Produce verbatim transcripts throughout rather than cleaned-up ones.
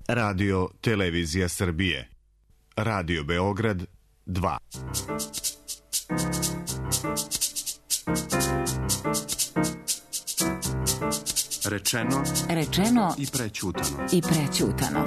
Radio Televizija Srbije. Radio Beograd dva. Rečeno, rečeno i prećutano. I prećutano.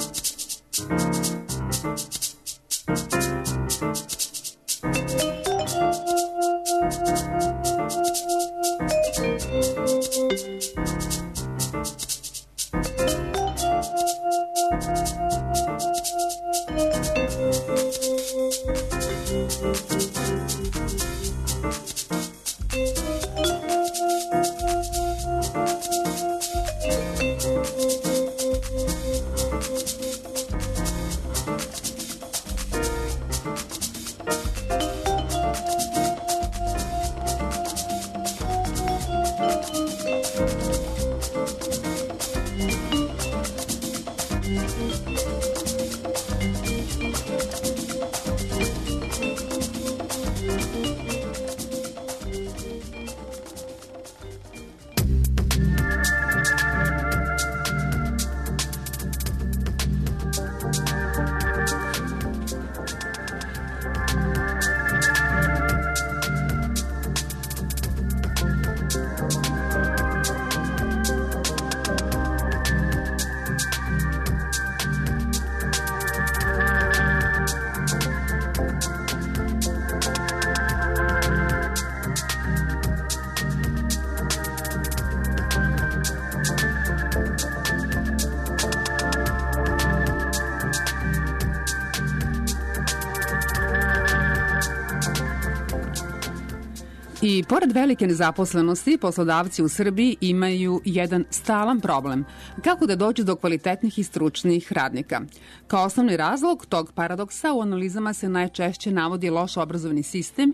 I pored velike nezaposlenosti, poslodavci u Srbiji imaju jedan stalan problem. Kako da dođu do kvalitetnih i stručnih radnika? Kao osnovni razlog tog paradoksa u analizama se najčešće navodi loš obrazovni sistem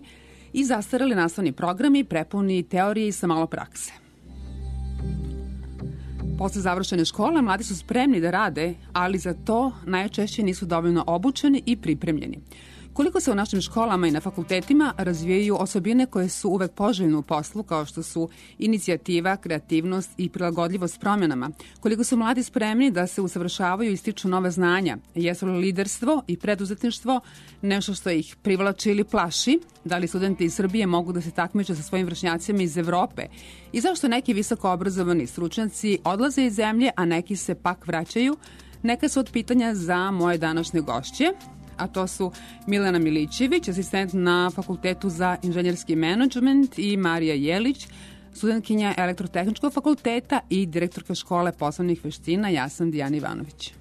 i zastareli nastavni programi prepuni teorije i sa malo prakse. Posle završene škole, mladi su spremni da rade, ali za to najčešće nisu dovoljno obučeni i pripremljeni. Koliko se u našim školama i na fakultetima razvijaju osobine koje su uvek poželjne u poslu, kao što su inicijativa, kreativnost i prilagodljivost promjenama, koliko su mladi spremni da se usavršavaju i stiču nove znanja, jesu li liderstvo i preduzetništvo nešto što ih privlači ili plaši, da li studenti iz Srbije mogu da se takmiče sa svojim vršnjacima iz Evrope i zašto neki visoko obrazovani stručnjaci odlaze iz zemlje, a neki se pak vraćaju, neka su od pitanja za moje današnje gošće, a to su Milena Milićević, asistent na Fakultetu za inženjerski menadžment, i Marija Jelić, studentkinja Elektrotehničkog fakulteta i direktorka škole poslovnih veština. Ja sam Dijana Ivanović.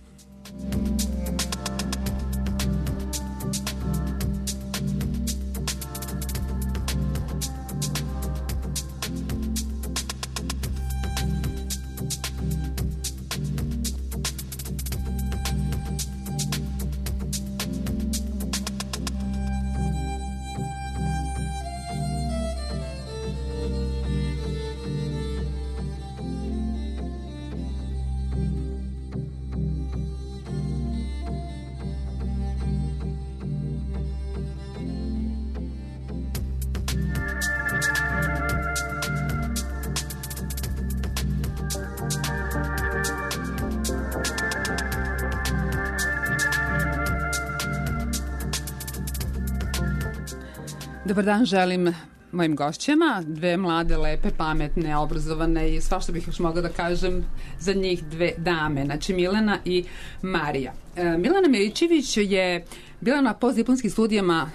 Dobar dan želim mojim gošćama, dve mlade, lepe, pametne, obrazovane i sva što bih još mogla da kažem za njih, dve dame, znači Milena i Marija. E, Milena Milićević je bila na postdiplomskim studijama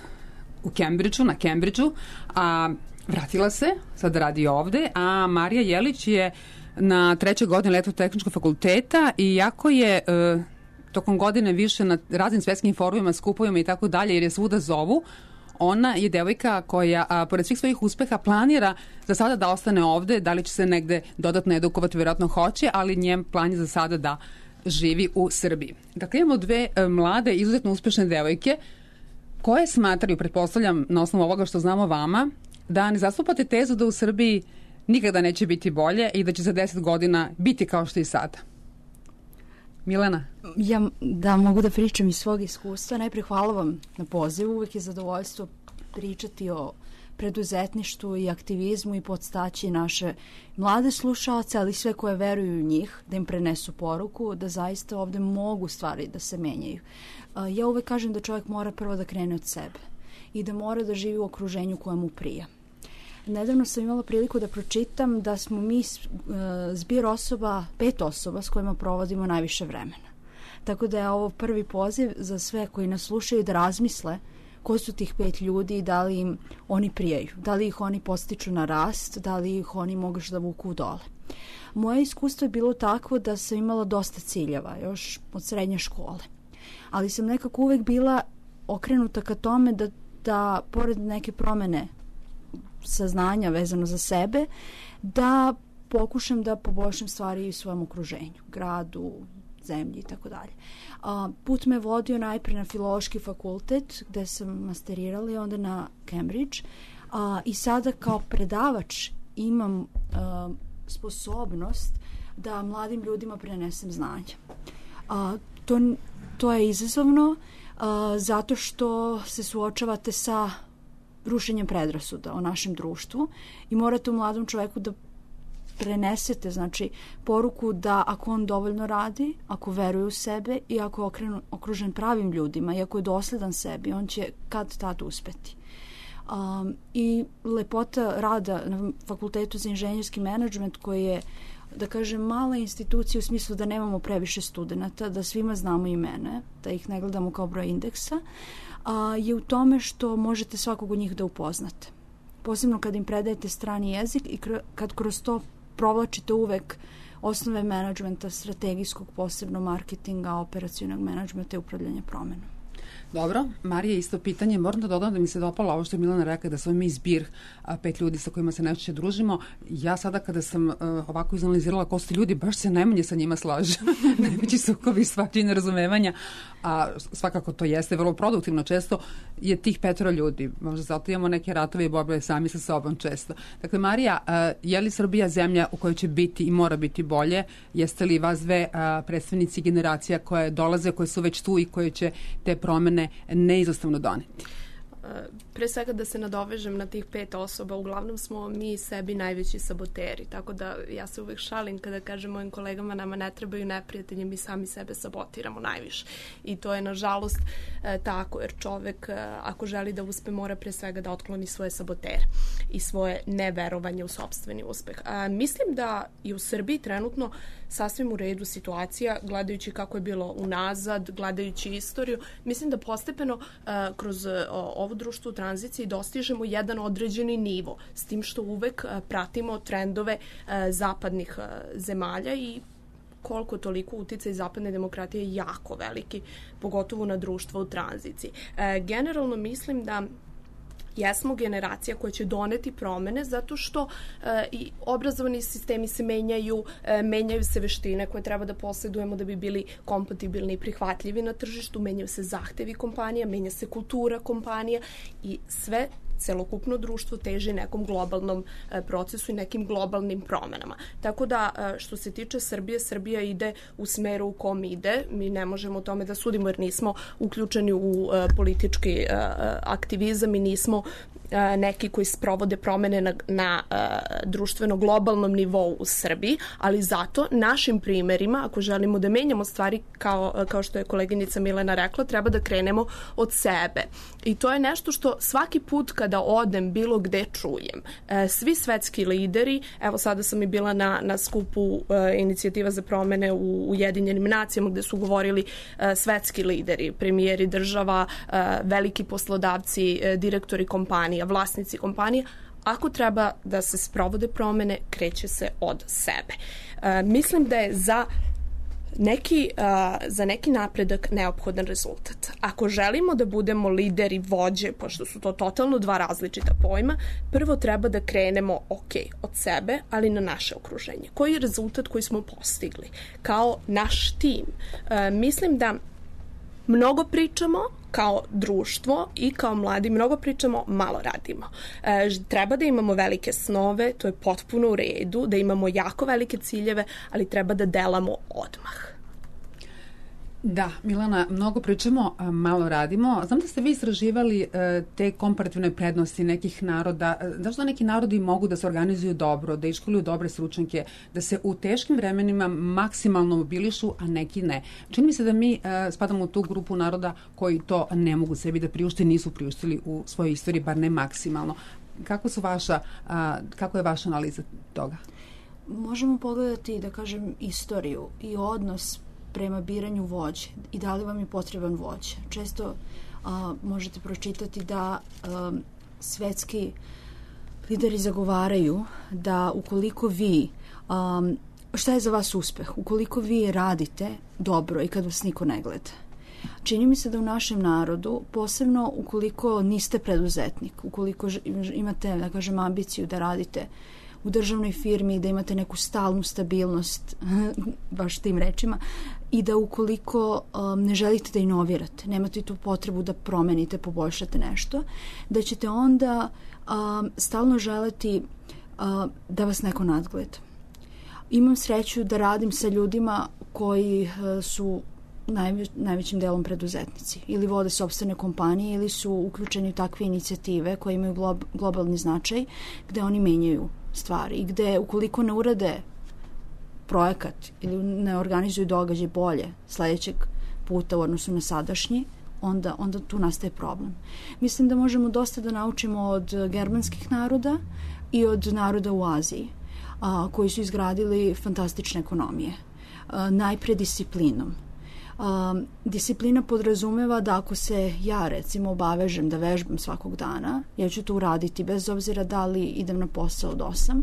u Cambridgeu, na Cambridgeu, a vratila se, sad radi ovde, a Marija Jelić je na trećoj godini Elektrotehničkog fakulteta i jako je e, tokom godine više na raznim svetskim forumima, skupovima i tako dalje, jer je svuda zovu. Ona je devojka koja, a, pored svih svojih uspeha, planira za sada da ostane ovde, da li će se negde dodatno edukovati, vjerojatno hoće, ali njen plan je za sada da živi u Srbiji. Dakle, imamo dve e, mlade, izuzetno uspešne devojke koje smatraju, pretpostavljam na osnovu ovoga što znamo vama, da ne zastupate tezu da u Srbiji nikada neće biti bolje i da će za deset godina biti kao što i sada. Milena? Ja da mogu da pričam iz svog iskustva. Najprej hvala vam na pozivu. Uvijek je zadovoljstvo pričati o preduzetništvu i aktivizmu i podstaći naše mlade slušaoce, ali sve koje veruju u njih, da im prenesu poruku, da zaista ovde mogu stvari da se menjaju. Ja uvek kažem da čovjek mora prvo da krene od sebe i da mora da živi u okruženju koje mu prija. Nedavno sam imala priliku da pročitam da smo mi zbir osoba, pet osoba s kojima provodimo najviše vremena. Tako da je ovo prvi poziv za sve koji nas slušaju da razmisle ko su tih pet ljudi i da li im oni prijaju, da li ih oni podstiču na rast, da li ih oni mogu da vuku dole. Moje iskustvo je bilo takvo da sam imala dosta ciljeva, još od srednje škole. Ali sam nekako uvek bila okrenuta ka tome da, da pored neke promene saznanja vezano za sebe, da pokušam da poboljšam stvari u svojem okruženju, gradu, zemlji i tako dalje. Put me vodio najpre na filološki fakultet gde sam masterirala i onda na Cambridge a, i sada kao predavač imam a, sposobnost da mladim ljudima prenesem znanje. A, to, to je izazovno a, zato što se suočavate sa rušenjem predrasuda o našem društvu i morate u mladom čoveku da prenesete, znači, poruku da ako on dovoljno radi, ako veruje u sebe i ako je okrenu, okružen pravim ljudima i ako je dosledan sebi, on će kad tad uspeti. Um, I lepota rada na Fakultetu za inženjerski menadžment koji je, da kažem, mala institucija u smislu da nemamo previše studenata, da svima znamo imene, da ih ne gledamo kao broj indeksa, a, je u tome što možete svakog od njih da upoznate. Posebno kad im predajete strani jezik i kr- kad kroz to provlačite uvek osnove menadžmenta, strategijskog, posebno marketinga, operacionog menadžmenta i upravljanja promenom. Dobro, Marija, isto pitanje. Moram da dodam da mi se dopala ovo što je Milena rekla, da smo mi zbir a, pet ljudi sa kojima se najčešće družimo. Ja sada kada sam a, ovako izanalizirala ko su ljudi, baš se najmanje sa njima slažem. Najveći sukobi, svačije nerazumevanja, a svakako to jeste vrlo produktivno. Često je tih petoro ljudi. Možda zato imamo neke ratove i borbe sami sa sobom često. Dakle, Marija, a, je li Srbija zemlja u kojoj će biti i mora biti bolje? Jeste li vas dve a, predstavnici generacija koje dolaze, koje su već tu i koje će te promene neizostavno doneti? Pre svega da se nadovežem na tih pet osoba, uglavnom smo mi sebi najveći saboteri, tako da ja se uvek šalim kada kažem mojim kolegama nama ne trebaju neprijatelji, mi sami sebe sabotiramo najviše i to je nažalost e, tako, jer čovek e, ako želi da uspe mora pre svega da otkloni svoje sabotere i svoje neverovanje u sopstveni uspeh. A, mislim da i u Srbiji trenutno sasvim u redu situacija, gledajući kako je bilo unazad, gledajući istoriju, mislim da postepeno a, kroz a, ovo društvo u tranziciji dostižemo jedan određeni nivo, s tim što uvek a, pratimo trendove a, zapadnih a, zemalja i koliko toliko uticaj zapadne demokratije je jako veliki, pogotovo na društvo u tranziciji. E, generalno mislim da jesmo generacija koja će doneti promene zato što e, i obrazovni sistemi se menjaju, e, menjaju se veštine koje treba da posjedujemo da bi bili kompatibilni i prihvatljivi na tržištu, menjaju se zahtevi kompanija, menja se kultura kompanija i sve celokupno društvo teži nekom globalnom e, procesu i nekim globalnim promenama. Tako da, e, što se tiče Srbije, Srbija ide u smeru u kom ide. Mi ne možemo o tome da sudimo jer nismo uključeni u e, politički e, aktivizam i nismo e, neki koji sprovode promene na, na e, društveno globalnom nivou u Srbiji, ali zato našim primerima, ako želimo da menjamo stvari kao, kao što je koleginica Milena rekla, treba da krenemo od sebe. I to je nešto što svaki put kad da odem bilo gde čujem. E, svi svetski lideri, evo sada sam i bila na, na skupu e, inicijativa za promene u Ujedinjenim nacijama gde su govorili e, svetski lideri, premijeri država, e, veliki poslodavci, e, direktori kompanija, vlasnici kompanija. Ako treba da se sprovode promene, kreće se od sebe. E, mislim da je za Neki, uh, za neki napredak neophodan rezultat. Ako želimo da budemo lideri, vođe, pošto su to totalno dva različita pojma, prvo treba da krenemo, ok, od sebe, ali na naše okruženje. Koji je rezultat koji smo postigli? Kao naš tim. Uh, mislim da mnogo pričamo kao društvo i kao mladi, mnogo pričamo, malo radimo. E, treba da imamo velike snove, to je potpuno u redu, da imamo jako velike ciljeve, ali treba da delamo odmah. Da, Milana, mnogo pričamo, a malo radimo. Znam da ste vi istraživali e, te komparativne prednosti nekih naroda. Zašto neki narodi mogu da se organizuju dobro, da iškoluju dobre stručnjake, da se u teškim vremenima maksimalno mobilišu, a neki ne? Čini mi se da mi e, spadamo u tu grupu naroda koji to ne mogu sebi da priušte, nisu priuštili u svojoj istoriji, bar ne maksimalno. Kako su vaša, a, kako je vaša analiza toga? Možemo pogledati, da kažem, istoriju i odnos prema biranju vođe i da li vam je potreban vođa. Često a, možete pročitati da a, svetski lideri zagovaraju da ukoliko vi, a, šta je za vas uspeh? Ukoliko vi radite dobro i kad vas niko ne gleda. Čini mi se da u našem narodu, posebno ukoliko niste preduzetnik, ukoliko imate, da kažem, ambiciju da radite u državnoj firmi, da imate neku stalnu stabilnost, baš tim rečima, i da ukoliko um, ne želite da inovirate, nemate tu potrebu da promenite, poboljšate nešto, da ćete onda um, stalno želeti uh, da vas neko nadgleda. Imam sreću da radim sa ljudima koji uh, su najveć, najvećim delom preduzetnici ili vode sopstvene kompanije ili su uključeni u takve inicijative koje imaju glob, globalni značaj gde oni menjaju stvari i gde ukoliko ne urade projekat ili ne organizuju događaj bolje sledećeg puta u odnosu na sadašnji, onda, onda tu nastaje problem. Mislim da možemo dosta da naučimo od germanskih naroda i od naroda u Aziji, a, koji su izgradili fantastične ekonomije. A, najpre disciplinom. Um, disciplina podrazumeva da ako se ja recimo obavežem da vežbam svakog dana, ja ću to uraditi bez obzira da li idem na posao od osam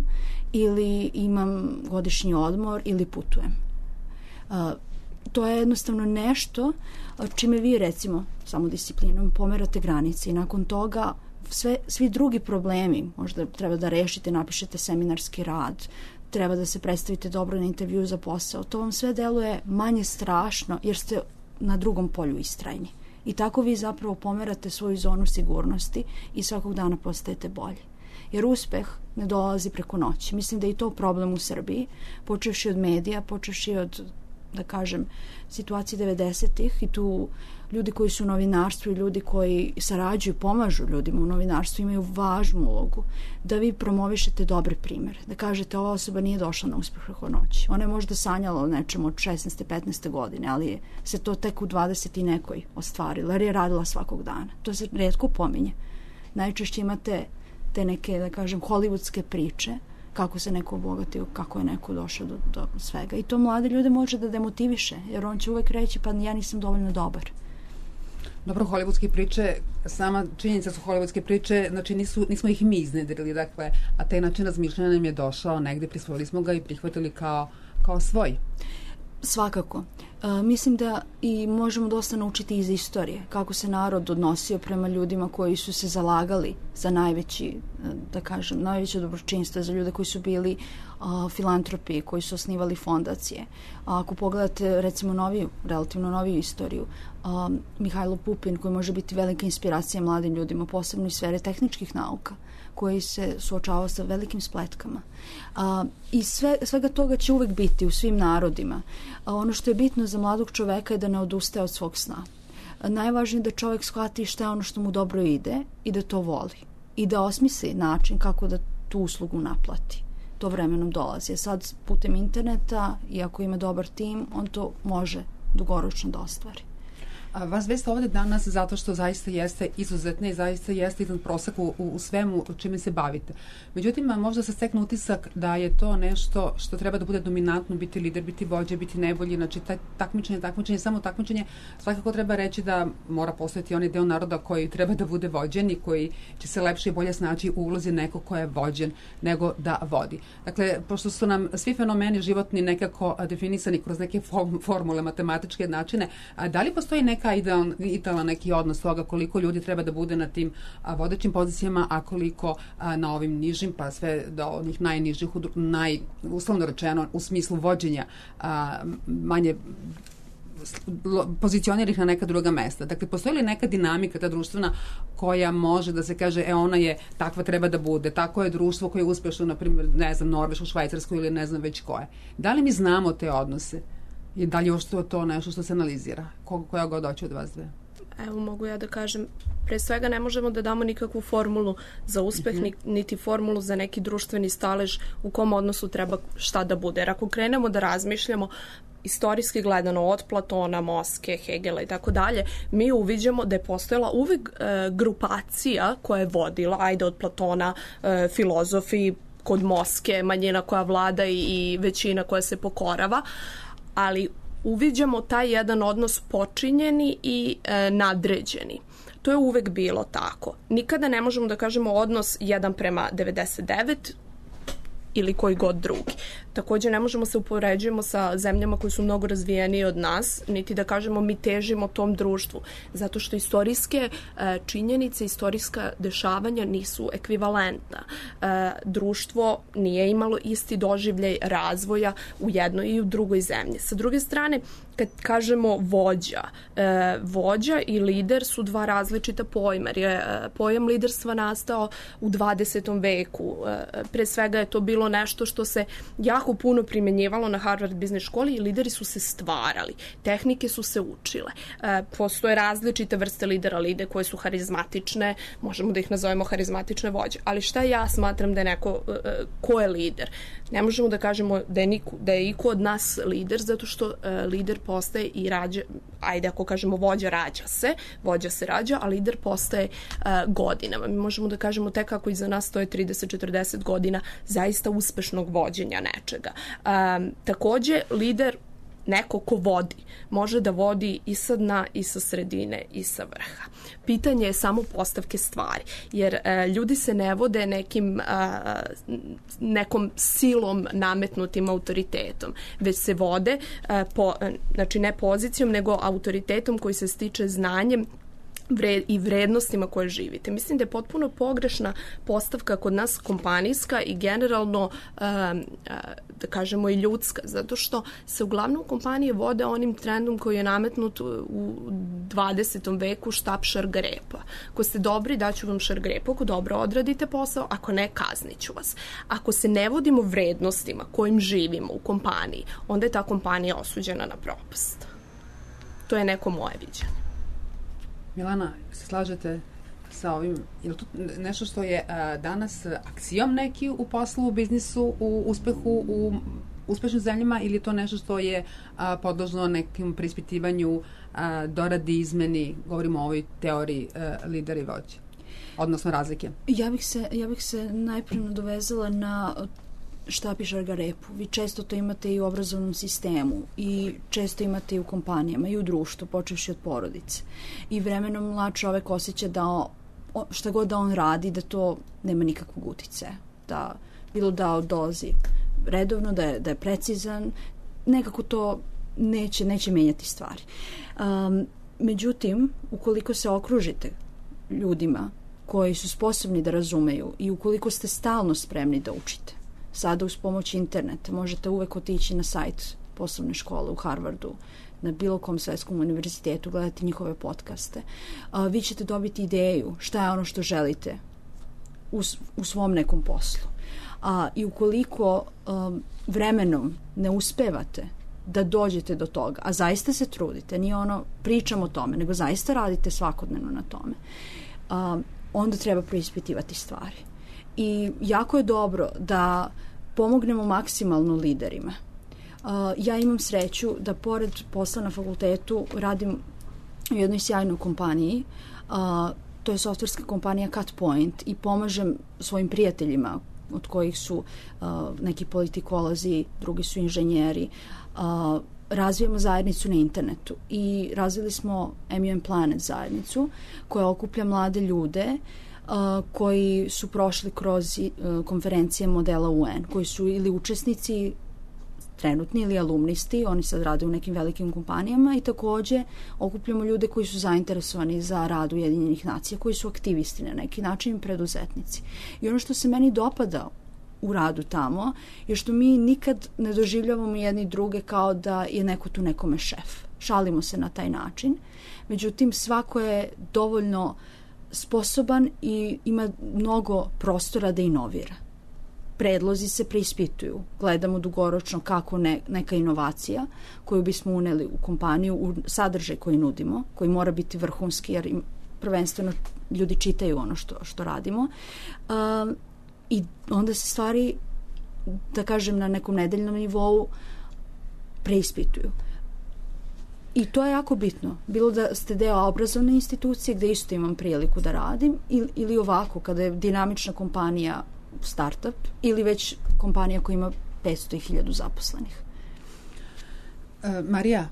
ili imam godišnji odmor ili putujem. Uh, to je jednostavno nešto čime vi recimo samo disciplinom pomerate granice i nakon toga sve, svi drugi problemi, možda treba da rešite, napišete seminarski rad, treba da se predstavite dobro na intervju za posao. To vam sve deluje manje strašno jer ste na drugom polju istrajni. I tako vi zapravo pomerate svoju zonu sigurnosti i svakog dana postajete bolji. Jer uspeh ne dolazi preko noći. Mislim da je i to problem u Srbiji, počevši od medija, počevši od, da kažem, situacije devedesetih i tu ljudi koji su u novinarstvu i ljudi koji sarađuju, pomažu ljudima u novinarstvu imaju važnu ulogu da vi promovišete dobre primere, da kažete ova osoba nije došla na uspeh preko noći. Ona je možda sanjala o nečemu od šesnaeste petnaeste godine, ali je se to tek u dvadeset i nekoj ostvarilo, jer je radila svakog dana. To se retko pominje. Najčešće imate te neke, da kažem, hollywoodske priče kako se neko obogatio, kako je neko došao do, do svega. I to mlade ljude može da demotiviše, jer on će uvek reći pa ja nisam dovoljno dobar. Dobro, hollywoodske priče, sama činjenica su hollywoodske priče, znači nisu, nismo ih mi iznedrili, dakle, a taj način razmišljanja nam je došao negde, prisvojili smo ga i prihvatili kao, kao svoj. Svakako. E, mislim da i možemo dosta naučiti iz istorije, kako se narod odnosio prema ljudima koji su se zalagali za najveći, da kažem, najveće dobročinstvo, za ljude koji su bili a, filantropi, koji su osnivali fondacije. A, ako pogledate recimo noviju, relativno noviju istoriju, a, Mihajlo Pupin, koji može biti velika inspiracija mladim ljudima, posebno iz sfere tehničkih nauka, koji se suočavao sa velikim spletkama. A, I sve, svega toga će uvek biti u svim narodima. A, ono što je bitno za mladog čoveka je da ne odustaje od svog sna. A, najvažnije je da čovek shvati šta je ono što mu dobro ide i da to voli. I da osmisli način kako da tu uslugu naplati. To vremenom dolazi. A sad putem interneta i ako ima dobar tim, on to može dugoročno da ostvari. A vas veste ovde danas zato što zaista jeste izuzetne i zaista jeste iznad proseka u, u svemu čime se bavite. Međutim, možda se stekne utisak da je to nešto što treba da bude dominantno, biti lider, biti vođa, biti najbolji, znači taj takmičenje, takmičenje, samo takmičenje, svakako treba reći da mora postojati onaj deo naroda koji treba da bude vođen i koji će se lepše i bolje snaći u ulozi nekog ko je vođen nego da vodi. Dakle, pošto su nam svi fenomeni životni nekako definisani kroz neke formule, matematičke načine, da li postoji neka idealan, idealan neki odnos toga koliko ljudi treba da bude na tim a, vodećim pozicijama, a koliko a, na ovim nižim, pa sve do onih najnižih, naj, uslovno rečeno, u smislu vođenja a, manje pozicioniranih na neka druga mesta. Dakle, postoji li neka dinamika, ta društvena, koja može da se kaže, e, ona je takva treba da bude, tako je društvo koje je uspešno, na primjer, ne znam, Norveško, Švajcarsko ili ne znam već koje. Da li mi znamo te odnose? I da li još to, to nešto što se analizira? Ko, koja god doći od vas dve? Evo, mogu ja da kažem, pre svega ne možemo da damo nikakvu formulu za uspeh, mm-hmm. niti formulu za neki društveni stalež u kom odnosu treba šta da bude. Jer ako krenemo da razmišljamo istorijski gledano od Platona, Moske, Hegela i tako dalje, mi uviđamo da je postojala uvek e, grupacija koja je vodila, ajde od Platona, e, filozofi, kod Moske, manjina koja vlada i, i većina koja se pokorava, ali uviđamo taj jedan odnos počinjeni i e, nadređeni. To je uvek bilo tako. Nikada ne možemo da kažemo odnos jedan prema devedeset devet ili koji god drugi. Takođe ne možemo se upoređujemo sa zemljama koje su mnogo razvijenije od nas, niti da kažemo mi težimo tom društvu, zato što istorijske e, činjenice, istorijska dešavanja nisu ekvivalentna. E, društvo nije imalo isti doživljaj razvoja u jednoj i u drugoj zemlji. Sa druge strane, kad kažemo vođa, e, vođa i lider su dva različita pojma, jer je e, pojam liderstva nastao u dvadesetom veku. E, pre svega je to bilo nešto što se jako puno primenjivalo na Harvard Business školi i lideri su se stvarali. Tehnike su se učile. E, postoje različite vrste lidera, lidere koje su harizmatične, možemo da ih nazovemo harizmatične vođe. Ali šta ja smatram da je neko, e, ko je lider? Ne možemo da kažemo da je, niko, da je iko od nas lider, zato što e, lider postaje i rađa, ajde ako kažemo vođa rađa se, vođa se rađa, a lider postaje e, godinama. Mi možemo da kažemo tek ako iza nas stoje trideset do četrdeset godina zaista uspešnog vođenja nečega. E, takođe, lider, neko ko vodi, može da vodi i sa dna, i sa sredine, i sa vrha. Pitanje je samo postavke stvari, jer e, ljudi se ne vode nekim, a, nekom silom nametnutim autoritetom, već se vode, a, po, znači ne pozicijom, nego autoritetom koji se stiče znanjem Vred, i vrednostima koje živite. Mislim da je potpuno pogrešna postavka kod nas kompanijska i generalno um, da kažemo i ljudska, zato što se uglavnom kompanije vode onim trendom koji je nametnut u dvadesetom veku, štap šargarepa. Ako ste dobri, daću vam šargarepu, ako dobro odradite posao, ako ne, kazniću vas. Ako se ne vodimo vrednostima kojim živimo u kompaniji, onda je ta kompanija osuđena na propast. To je neko moje viđenje. Milana, se slažete sa ovim? Je li to nešto što je a, danas aksijom neki u poslu, u biznisu, u uspehu, u uspešnim zemljama, ili je to nešto što je a, podložno nekim preispitivanju, a, doradi, izmeni, govorimo o ovoj teoriji a, lidera i vođe, odnosno razlike? Ja bih se, ja bih se najprije nadovezala na štap i šargarepu. Vi često to imate i u obrazovnom sistemu i često imate i u kompanijama i u društvu, počevši od porodice. I vremenom mlad čovek osjeća da on, šta god da on radi, da to nema nikakvog uticaja. Da bilo da dolazi redovno, da je, da je precizan, nekako to neće, neće menjati stvari. Um, međutim, ukoliko se okružite ljudima koji su sposobni da razumeju i ukoliko ste stalno spremni da učite, sada uz pomoć interneta možete uvek otići na sajt poslovne škole u Harvardu, na bilo kom svetskom univerzitetu, gledati njihove podcaste. A, vi ćete dobiti ideju šta je ono što želite u, u svom nekom poslu. A, I ukoliko a, vremenom ne uspevate da dođete do toga, a zaista se trudite, nije ono pričam o tome, nego zaista radite svakodnevno na tome, a, onda treba preispitivati stvari. I jako je dobro da pomognemo maksimalno liderima. Uh, ja imam sreću da pored posla na fakultetu radim u jednoj sjajnoj kompaniji. Uh, to je softverska kompanija CutPoint i pomažem svojim prijateljima od kojih su uh, neki politikolozi, drugi su inženjeri. Uh, razvijamo zajednicu na internetu i razvili smo M U M Planet zajednicu koja okuplja mlade ljude Uh, koji su prošli kroz uh, konferencije modela U N, koji su ili učesnici trenutni ili alumnisti, oni sad rade u nekim velikim kompanijama i takođe okupljamo ljude koji su zainteresovani za rad Ujedinjenih nacija, koji su aktivisti na neki način, preduzetnici. I ono što se meni dopada u radu tamo je što mi nikad ne doživljavamo jedni druge kao da je neko tu nekome šef. Šalimo se na taj način. Međutim, svako je dovoljno sposoban i ima mnogo prostora da inovira. predlozi se preispituju. Gledamo dugoročno kako ne, neka inovacija koju bismo uneli u kompaniju, u sadržaj koji nudimo, koji mora biti vrhunski, jer im prvenstveno ljudi čitaju ono što, što radimo. Um, I onda se stvari, da kažem, na nekom nedeljnom nivou preispituju. I to je jako bitno. Bilo da ste deo obrazovne institucije gde isto imam priliku da radim ili, ili ovako kada je dinamična kompanija startup ili već kompanija koja ima petsto hiljada zaposlenih. E, Marija,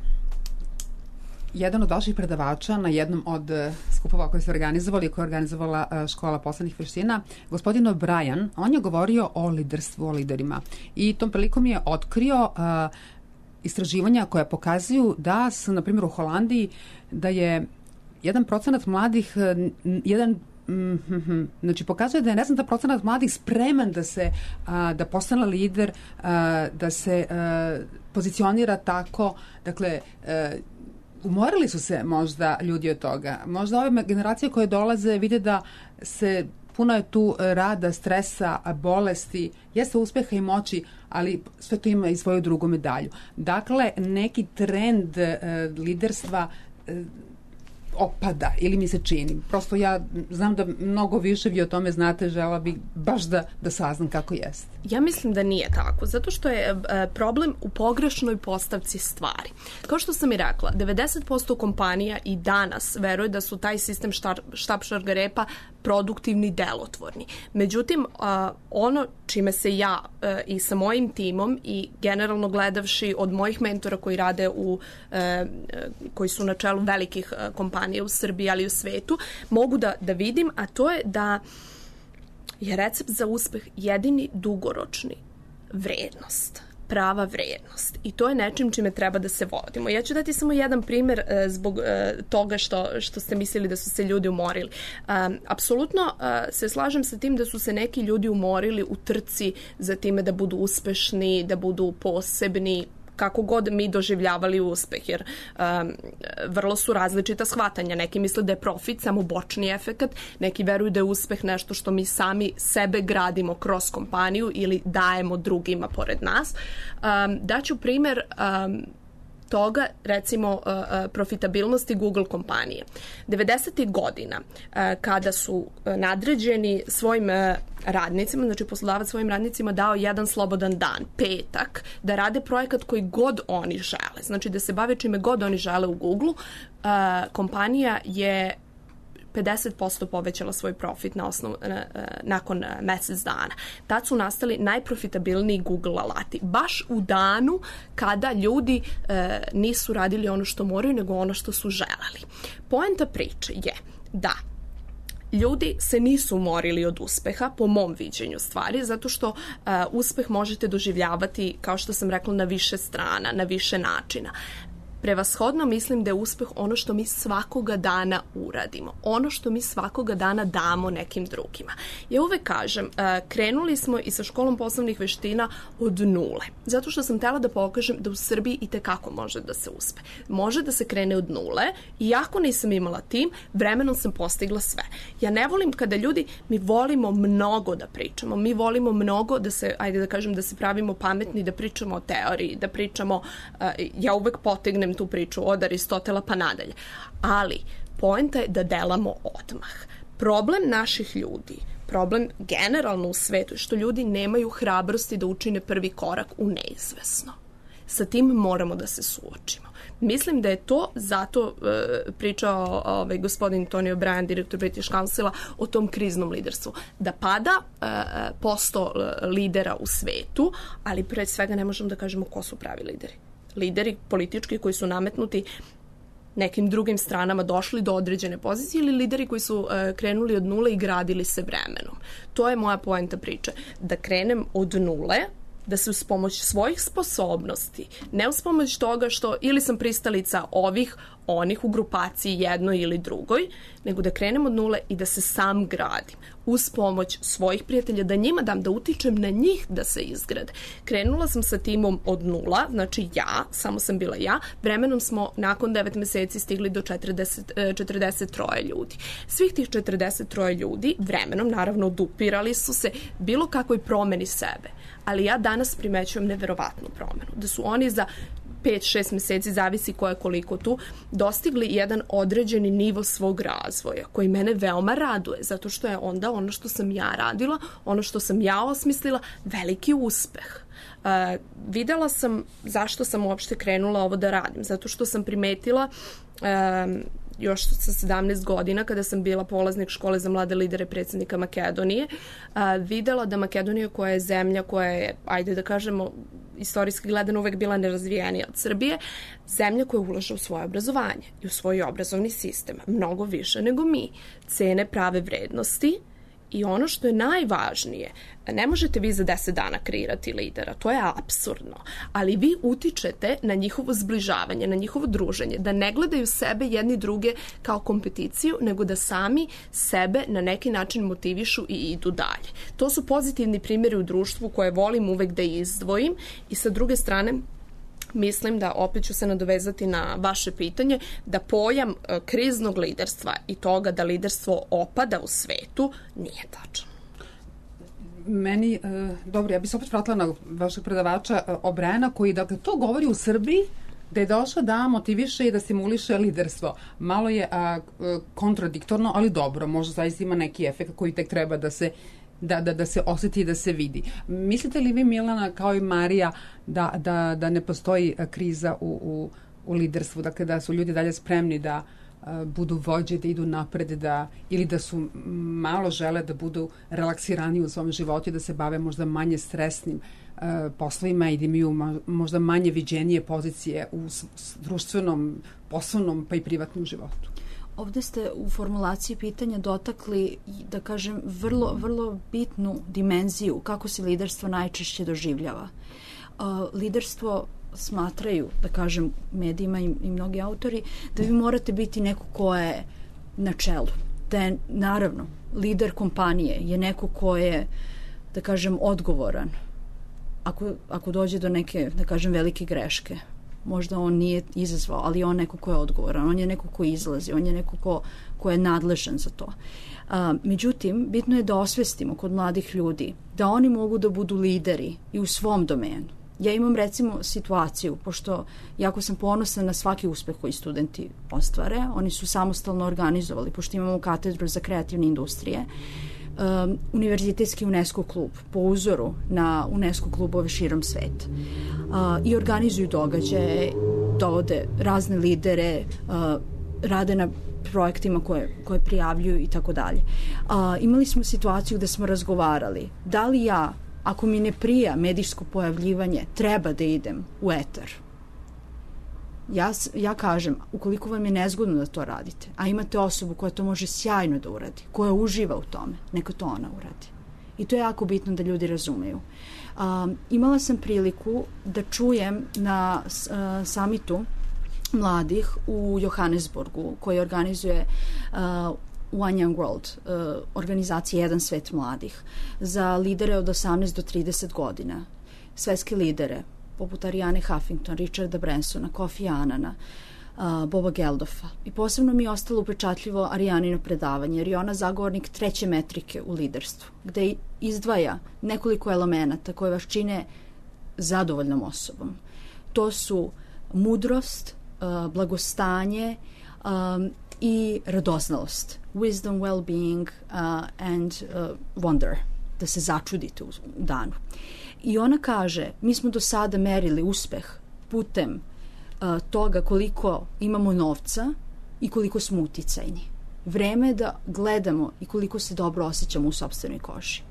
jedan od vaših predavača na jednom od skupova koje ste organizovali, koje je organizovala Škola poslovnih veština, gospodin O'Brien, on je govorio o liderstvu, o liderima. I tom prilikom je otkrio uh, istraživanja koja pokazuju da su, na primjer, u Holandiji, da je jedan procenat mladih, jedan Mm-hmm. znači pokazuje da je ne znam da procenat mladih spreman da se a, da postane lider, a, da se a, pozicionira tako, dakle a, umorili su se možda ljudi od toga, možda ove generacije koje dolaze vide da se puno je tu rada, stresa, bolesti, jeste uspeha i moći, ali sve to ima i svoju drugu medalju. Dakle, neki trend a, liderstva a, opada ili mi se čini. Prosto ja znam da mnogo više vi o tome znate, žela bih baš da, da saznam kako jeste. Ja mislim da nije tako, zato što je e, problem u pogrešnoj postavci stvari. Kao što sam i rekla, devedeset posto kompanija i danas veruje da su taj sistem štar, štap šargarepa produktivni, delotvorni. Međutim, a, ono čime se ja a, i sa mojim timom i generalno gledavši od mojih mentora koji rade u, a, koji su na čelu velikih a, kompanija u Srbiji, ali i u svetu, mogu da, da vidim, a to je da je recept za uspeh jedini dugoročni vrednost, prava vrednost. I to je nečim čime treba da se vodimo. Ja ću dati samo jedan primjer e, zbog e, toga što, što ste mislili da su se ljudi umorili. E, apsolutno e, se slažem sa tim da su se neki ljudi umorili u trci za time da budu uspešni, da budu posebni, kako god mi doživljavali uspeh, jer um, vrlo su različita shvatanja. Neki misle da je profit samo bočni efekat, neki veruju da je uspeh nešto što mi sami sebe gradimo kroz kompaniju ili dajemo drugima pored nas. Um, daću primjer um, toga, recimo, profitabilnosti Google kompanije. devedesetih godina, kada su nadređeni svojim radnicima, znači poslodavac svojim radnicima dao jedan slobodan dan, petak, da rade projekat koji god oni žele, znači da se bave čime god oni žele u Google, kompanija je pedeset posto povećala svoj profit na osnovu, nakon mesec dana. Tad su nastali najprofitabilniji Google alati. Baš u danu kada ljudi e, nisu radili ono što moraju, nego ono što su želeli. Poenta priče je da ljudi se nisu umorili od uspeha, po mom viđenju stvari, zato što uh, uspeh možete doživljavati, kao što sam rekla, na više strana, na više načina. Prevashodno mislim da je uspeh ono što mi svakoga dana uradimo, ono što mi svakoga dana damo nekim drugima. Ja uvek kažem, krenuli smo i sa školom poslovnih veština od nule, zato što sam htela da pokažem da u Srbiji i tekako može da se uspe. Može da se krene od nule, iako nisam imala tim, vremenom sam postigla sve. Ja ne volim kada ljudi, mi volimo mnogo da pričamo, mi volimo mnogo da se, ajde da kažem, da se pravimo pametni, da pričamo o teoriji, da pričamo, ja uvek potegnem tu priču od Aristotela pa nadalje. Ali poenta je da delamo odmah. Problem naših ljudi, problem generalno u svetu je što ljudi nemaju hrabrosti da učine prvi korak u neizvesno. Sa tim moramo da se suočimo. Mislim da je to zato uh, pričao ovaj, gospodin Tony O'Brien, direktor British Councila, o tom kriznom liderstvu. Da pada uh, posto lidera u svetu, ali pre svega ne možemo da kažemo ko su pravi lideri. Lideri politički koji su nametnuti nekim drugim stranama došli do određene pozicije ili lideri koji su uh, krenuli od nule i gradili se vremenom. To je moja poenta priče. Da krenem od nule, da se uz pomoć svojih sposobnosti, ne uz pomoć toga što ili sam pristalica ovih, onih u grupaciji jednoj ili drugoj, nego da krenem od nule i da se sam gradim uz pomoć svojih prijatelja, da njima dam, da utičem na njih da se izgrade. Krenula sam sa timom od nula, znači ja, samo sam bila ja, vremenom smo nakon devet meseci stigli do četrdeset, četrdeset tri ljudi. Svih tih četrdeset tri ljudi vremenom naravno odupirali su se bilo kakvoj promeni sebe, ali ja danas primećujem neverovatnu promenu, da su oni za pet šest meseci, zavisi ko je koliko tu, dostigli jedan određeni nivo svog razvoja, koji mene veoma raduje, zato što je onda ono što sam ja radila, ono što sam ja osmislila, veliki uspeh. Uh, videla sam zašto sam uopšte krenula ovo da radim, zato što sam primetila uh, još sa sedamnaest godina, kada sam bila polaznik škole za mlade lidere predsjednika Makedonije, uh, videla da Makedonija, koja je zemlja koja je, ajde da kažemo, istorijski gledano uvek bila nerazvijenija od Srbije, zemlja koja ulaže u svoje obrazovanje i u svoj obrazovni sistem, mnogo više nego mi, cene prave vrednosti. I ono što je najvažnije, ne možete vi za deset dana kreirati lidera, to je apsurdno, ali vi utičete na njihovo zbližavanje, na njihovo druženje, da ne gledaju sebe jedni druge kao kompeticiju, nego da sami sebe na neki način motivišu i idu dalje. To su pozitivni primjeri u društvu koje volim uvek da izdvojim i sa druge strane, mislim da, opet ću se nadovezati na vaše pitanje, da pojam e, kriznog liderstva i toga da liderstvo opada u svetu nije tačan. Meni, e, dobro, ja bih se opet vratila na vašeg predavača e, Obrena, koji, dakle, to govori u Srbiji, da je došla da motiviše i da stimuliše liderstvo. Malo je a, kontradiktorno, ali dobro, možda zaista ima neki efekt koji tek treba da se Da, da, da se osjeti i da se vidi. Mislite li vi, Milana, kao i Marija, da, da, da ne postoji kriza u, u, u liderstvu, dakle da su ljudi dalje spremni da uh, budu vođe, da idu napred, da, ili da su malo žele da budu relaksirani u svom životu i da se bave možda manje stresnim uh, poslovima i da imaju možda manje viđenije pozicije u s, s društvenom, poslovnom pa i privatnom životu? Ovde ste u formulaciji pitanja dotakli, da kažem, vrlo, vrlo bitnu dimenziju kako se liderstvo najčešće doživljava. Uh, liderstvo smatraju, da kažem, medijima i, i mnogi autori, da vi morate biti neko ko je na čelu. Da je, naravno, lider kompanije je neko ko je, da kažem, odgovoran. Ako, ako dođe do neke, da kažem, velike greške, možda on nije izazvao, ali on neko ko je odgovoran, on je neko ko izlazi, on je neko ko, ko je nadležan za to. A, međutim, bitno je da osvestimo kod mladih ljudi da oni mogu da budu lideri i u svom domenu. Ja imam, recimo, situaciju, pošto jako sam ponosna na svaki uspeh koji studenti ostvare, oni su samostalno organizovali, pošto imamo katedru za kreativne industrije, Um, univerzitetski UNESCO klub po uzoru na UNESCO klubove širom sveta uh, i organizuju događaje, dovode razne lidere, uh, rade na projektima koje, koje prijavljuju i tako dalje. Imali smo situaciju gde smo razgovarali da li ja, ako mi ne prija medijsko pojavljivanje, treba da idem u etar. Ja, ja kažem, ukoliko vam je nezgodno da to radite, a imate osobu koja to može sjajno da uradi, koja uživa u tome, neka to ona uradi. I to je jako bitno da ljudi razumeju. Um, imala sam priliku da čujem na uh, samitu mladih u Johannesburgu, koji organizuje uh, One Young World, uh, organizacija Jedan svet mladih, za lidere od osamnaest do trideset godina, svetske lidere, poput Ariane Huffington, Richarda Bransona, Kofi Annana, uh, Boba Geldofa. I posebno mi je ostalo upečatljivo Arijanino predavanje, jer je ona zagovornik treće metrike u liderstvu, gde izdvaja nekoliko elemenata koje vas čine zadovoljnom osobom. To su mudrost, uh, blagostanje um, i radoznalost. Wisdom, well-being uh, and uh, wonder. Da se začudite u danu. I ona kaže, mi smo do sada merili uspeh putem uh, toga koliko imamo novca i koliko smo uticajni. Vreme je da gledamo i koliko se dobro osjećamo u sopstvenoj koži.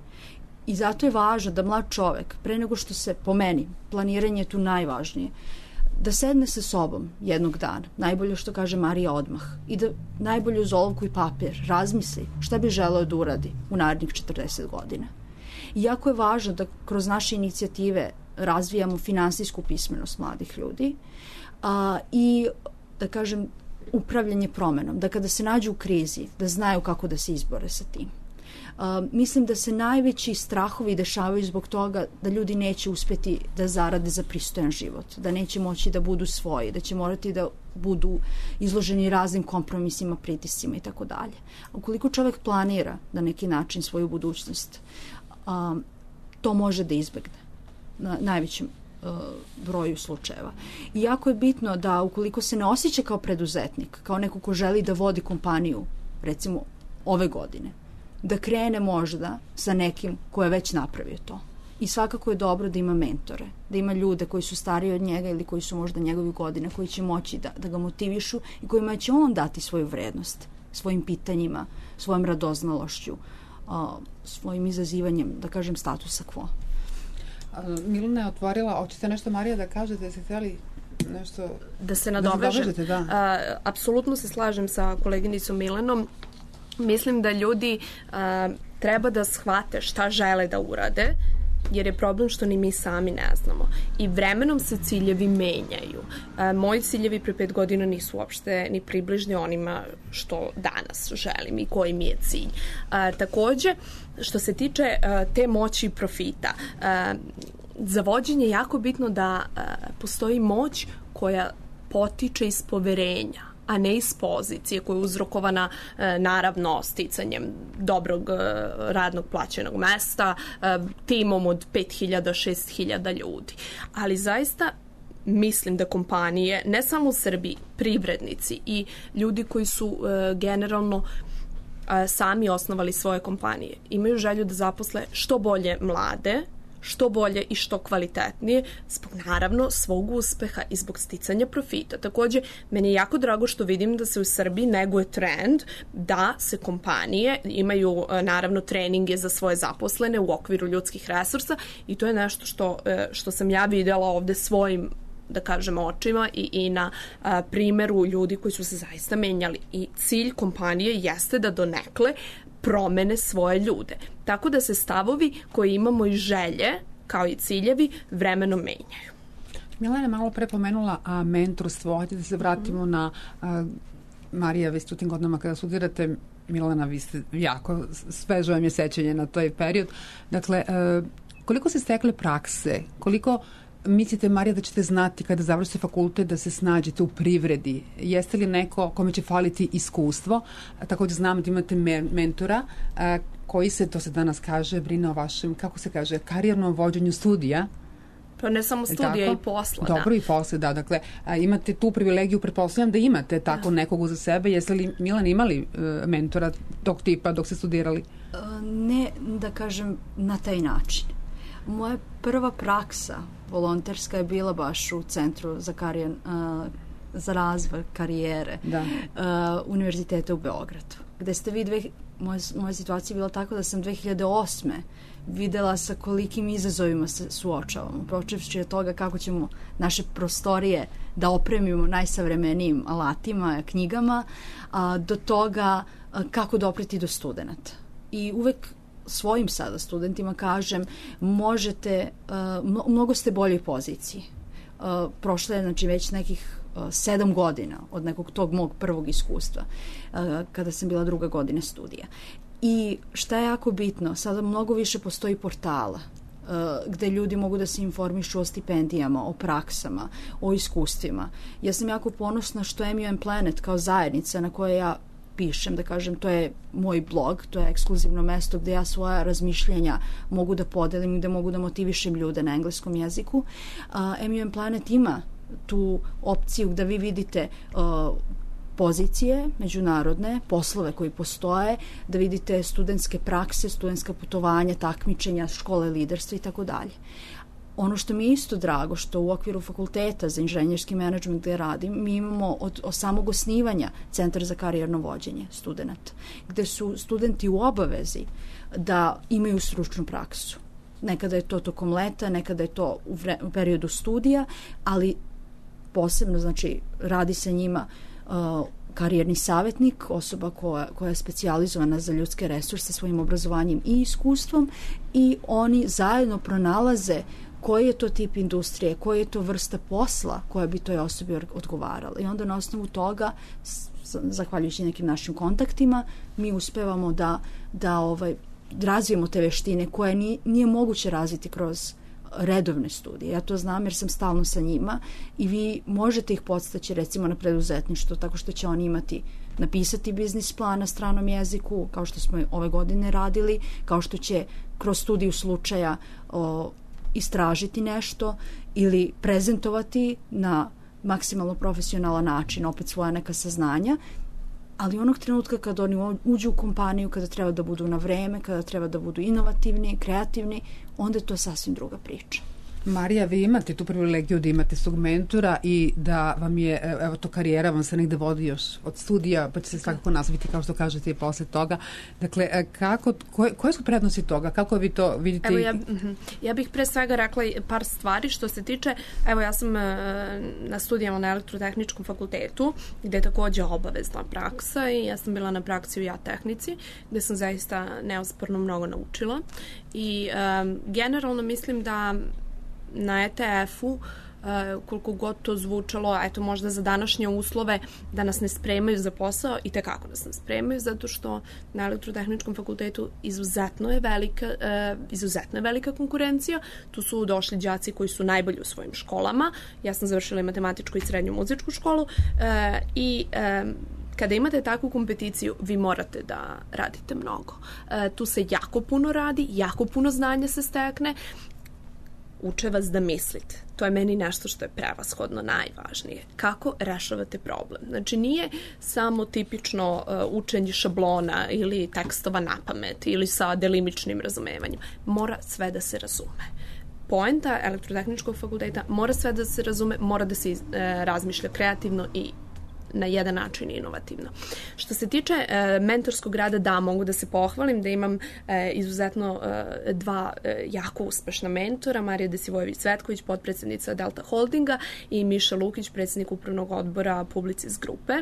I zato je važno da mlad čovek, pre nego što se, po meni, planiranje je tu najvažnije, da sedne sa sobom jednog dana, najbolje što kaže Marija odmah, i da najbolje uz olovku i papir razmisli šta bi želeo da uradi u narednih četrdeset godina. I jako je važno da kroz naše inicijative razvijamo finansijsku pismenost mladih ljudi a, i, da kažem, upravljanje promenom, da kada se nađu u krizi, da znaju kako da se izbore sa tim. Uh, mislim da se najveći strahovi dešavaju zbog toga da ljudi neće uspjeti da zarade za pristojan život, da neće moći da budu svoji, da će morati da budu izloženi raznim kompromisima, pritiscima i tako dalje. Ukoliko čovjek planira na neki način svoju budućnost, um, to može da izbegne na najvećem uh, broju slučajeva. I jako je bitno da ukoliko se ne osjeća kao preduzetnik, kao neko ko želi da vodi kompaniju, recimo ove godine, da krene možda sa nekim ko je već napravio to. I svakako je dobro da ima mentore, da ima ljude koji su stariji od njega ili koji su možda njegovi godine, koji će moći da, da ga motivišu i kojima će on dati svoju vrednost, svojim pitanjima, svojom radoznalošću, uh, svojim izazivanjem, da kažem, statusa quo. Milena je otvorila, hoćete nešto, Marija, da kažete, da ste htjeli nešto... Da se nadovežem. Da. Uh, apsolutno se slažem sa koleginicom Milenom. Mislim da ljudi uh, treba da shvate šta žele da urade, jer je problem što ni mi sami ne znamo. I vremenom se ciljevi menjaju. Uh, moji ciljevi pre pet godina nisu uopšte ni približni onima što danas želim i koji mi je cilj. Uh, takođe, što se tiče uh, te moći i profita, uh, za vođenje je jako bitno da uh, postoji moć koja potiče iz poverenja, a ne iz pozicije koja je uzrokovana e, naravno sticanjem dobrog e, radnog plaćenog mesta, e, timom od pet hiljada, šest hiljada ljudi. Ali zaista mislim da kompanije, ne samo u Srbiji, privrednici i ljudi koji su e, generalno e, sami osnovali svoje kompanije, imaju želju da zaposle što bolje mlade, što bolje i što kvalitetnije, zbog naravno svog uspeha i zbog sticanja profita. Takođe, meni je jako drago što vidim da se u Srbiji neguje trend da se kompanije imaju naravno treninge za svoje zaposlene u okviru ljudskih resursa i to je nešto što, što sam ja videla ovde svojim, da kažem, očima i, i na a, primjeru ljudi koji su se zaista menjali. I cilj kompanije jeste da donekle promene svoje ljude. Tako da se stavovi koje imamo i želje, kao i ciljevi, vremenom menjaju. Milena je malo pre pomenula a, mentorstvo. Hajde da se vratimo mm. na a, Marija, vi ste u tim godinama kada studirate, Milena, vi ste jako sveže vam je sećanje na taj period. Dakle, a, koliko ste stekle prakse, koliko mislite, Marija, da ćete znati kada završite fakultet da se snađete u privredi? Jeste li neko kome će faliti iskustvo? Također znam da imate me mentora a, koji se, to se danas kaže, brine o vašem, kako se kaže, karijernom vođenju studija. Pa ne samo studija, i posla. Dobro, da. i posle, da. Dakle, a, imate tu privilegiju, pretpostavljam da imate tako da. nekog uza sebe. Jeste li, Milan, imali uh, mentora tog tipa dok ste studirali? Uh, ne, da kažem, na taj način. Moja prva praksa volonterska je bila baš u Centru za, karijer, uh, za razvoj karijere da. uh, Univerziteta u Beogradu, gde ste vi, dve, moja, moja situacija je bila tako da sam dve hiljade osme videla sa kolikim izazovima se suočavamo, počevši od toga kako ćemo naše prostorije da opremimo najsavremenijim alatima, knjigama, a, do toga a, kako dopreti do studenata. I uvek svojim sada studentima kažem, možete, uh, mnogo ste boljoj poziciji. Uh, prošlo je, znači, već nekih uh, sedam godina od nekog tog mog prvog iskustva, uh, kada sam bila druga godina studija. I šta je jako bitno, sada mnogo više postoji portala uh, gde ljudi mogu da se informišu o stipendijama, o praksama, o iskustvima. Ja sam jako ponosna što M U M Planet kao zajednica na kojoj ja pišem, da kažem, to je moj blog, to je ekskluzivno mesto gde ja svoja razmišljenja mogu da podelim i da mogu da motivišem ljude na engleskom jeziku. Uh, M U M Planet ima tu opciju da vi vidite uh, pozicije međunarodne, poslove koji postoje, da vidite studentske prakse, studentska putovanja, takmičenja, škole liderstva i tako dalje. Ono što mi je isto drago, što u okviru fakulteta za inženjerski menadžment gde radim, mi imamo od, od samog osnivanja Centar za karijerno vođenje studenta, gde su studenti u obavezi da imaju stručnu praksu. Nekada je to tokom leta, nekada je to u, vre, u periodu studija, ali posebno, znači, radi sa njima uh, karijerni savjetnik, osoba koja, koja je specijalizovana za ljudske resurse svojim obrazovanjem i iskustvom, i oni zajedno pronalaze koji je to tip industrije, koja je to vrsta posla koja bi toj osobi odgovarala. I onda na osnovu toga, zahvaljujući nekim našim kontaktima, mi uspevamo da, da ovaj, razvijemo te veštine koje nije, nije moguće razviti kroz redovne studije. Ja to znam jer sam stalno sa njima i vi možete ih podstaći recimo na preduzetništvo tako što će oni imati napisati biznis plan na stranom jeziku, kao što smo ove godine radili, kao što će kroz studiju slučaja o, istražiti nešto ili prezentovati na maksimalno profesionalan način, opet svoja neka saznanja, ali onog trenutka kada oni uđu u kompaniju, kada treba da budu na vreme, kada treba da budu inovativni, kreativni, onda je to sasvim druga priča. Marija, vi imate tu privilegiju da imate svog mentora i da vam je, evo to karijera vam se negde vodi još od studija, pa će se svakako nastaviti kao što kažete i posle toga. Dakle, kako, koje, koje su prednosti toga? Kako vi to vidite? Evo ja, ja bih pre svega rekla par stvari što se tiče, evo ja sam na studijama na elektrotehničkom fakultetu gde je takođe obavezna praksa i ja sam bila na praksi u ja-tehnici gde sam zaista neosporno mnogo naučila i um, generalno mislim da na E T F-u, uh, koliko god to zvučalo, eto možda za današnje uslove da nas ne spremaju za posao i tekako nas ne spremaju, zato što na elektrotehničkom fakultetu izuzetno je velika, uh, izuzetno je velika konkurencija. Tu su došli đaci koji su najbolji u svojim školama. Ja sam završila i matematičku i srednju muzičku školu uh, i um, kada imate takvu kompeticiju, vi morate da radite mnogo. E, tu se jako puno radi, jako puno znanja se stekne, uče vas da mislite. To je meni nešto što je prevashodno najvažnije. Kako rešavate problem? Znači, nije samo tipično uh, učenje šablona ili tekstova na pamet ili sa delimičnim razumevanjem. Mora sve da se razume. Poenta elektrotehničkog fakulteta mora sve da se razume, mora da se uh, razmišlja kreativno i na jedan način inovativno. Što se tiče e, mentorskog rada, da, mogu da se pohvalim da imam e, izuzetno e, dva e, jako uspešna mentora, Marija Desivojević-Cvetković, potpredsednica Delta Holdinga i Miša Lukić, predsednik upravnog odbora Publicis grupe.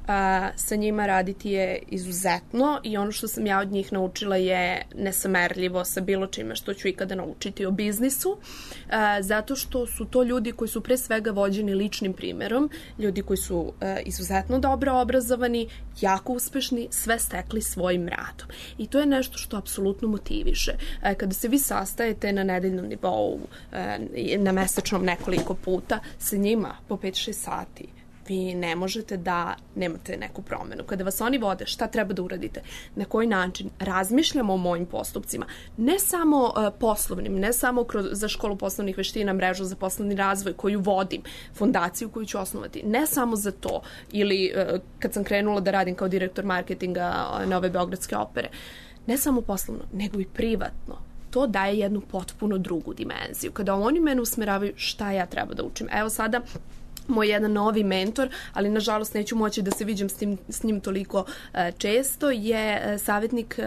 A, sa njima raditi je izuzetno i ono što sam ja od njih naučila je nesamerljivo sa bilo čime što ću ikada naučiti o biznisu, a, zato što su to ljudi koji su pre svega vođeni ličnim primerom, ljudi koji su a, izuzetno dobro obrazovani, jako uspešni, sve stekli svojim radom. I to je nešto što apsolutno motiviše. A, kada se vi sastajete na nedeljnom nivou, a, na mesečnom nekoliko puta, sa njima po pet šest sati, vi ne možete da nemate neku promenu. Kada vas oni vode, šta treba da uradite, na koji način, razmišljamo o mojim postupcima, ne samo uh, poslovnim, ne samo kroz, za školu poslovnih veština, mrežu za poslovni razvoj koju vodim, fondaciju koju ću osnovati, ne samo za to, ili uh, kad sam krenula da radim kao direktor marketinga uh, Nove Beogradske opere, ne samo poslovno, nego i privatno. To daje jednu potpuno drugu dimenziju. Kada oni mene usmeravaju šta ja treba da učim. Evo sada moj jedan novi mentor, ali nažalost neću moći da se viđam s, tim, s njim toliko uh, često, je uh, savjetnik uh,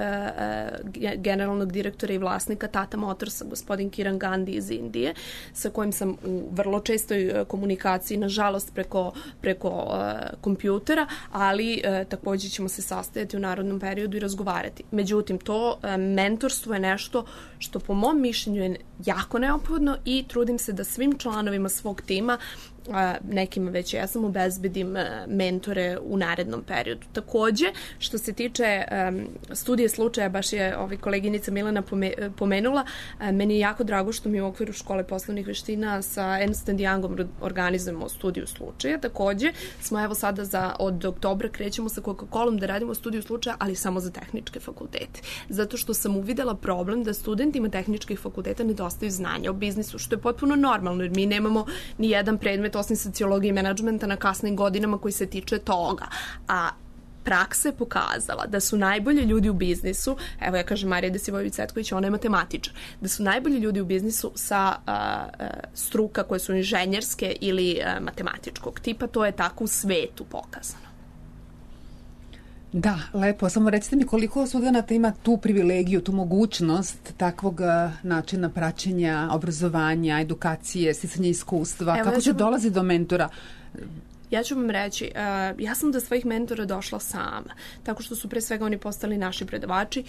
generalnog direktora i vlasnika Tata Motorsa, gospodin Kiran Gandhi iz Indije, sa kojim sam u vrlo čestoj uh, komunikaciji, nažalost preko, preko uh, kompjutera, ali uh, također ćemo se sastajati u narodnom periodu i razgovarati. Međutim, to uh, mentorstvo je nešto što po mom mišljenju je jako neophodno i trudim se da svim članovima svog tima, nekima već ja sam obezbedim mentore u narednom periodu. Takođe, što se tiče um, studije slučaja, baš je ovaj koleginica Milena pomenula, um, meni je jako drago što mi u okviru škole poslovnih veština sa Ernst and Youngom organizujemo studiju slučaja. Takođe, smo evo sada za, od oktobra krećemo sa Coca-Colom da radimo studiju slučaja, ali samo za tehničke fakultete. Zato što sam uvidela problem da studentima tehničkih fakulteta nedostaju znanja o biznisu, što je potpuno normalno, jer mi nemamo ni jedan predmet osim sociologije i menadžmenta na kasnim godinama koji se tiče toga. A praksa je pokazala da su najbolji ljudi u biznisu, evo ja kažem Marija Desivojević-Cvetković, ona je matematičar, da su najbolji ljudi u biznisu sa a, a, struka koje su inženjerske ili a, matematičkog tipa, to je tako u svetu pokazano. Da, lepo. Samo recite mi koliko studenata ima tu privilegiju, tu mogućnost takvog načina praćenja, obrazovanja, edukacije, sticanja iskustva. Evo, kako se dolazi do mentora? Ja ću vam reći, uh, ja sam do svojih mentora došla sama, tako što su pre svega oni postali naši predavači.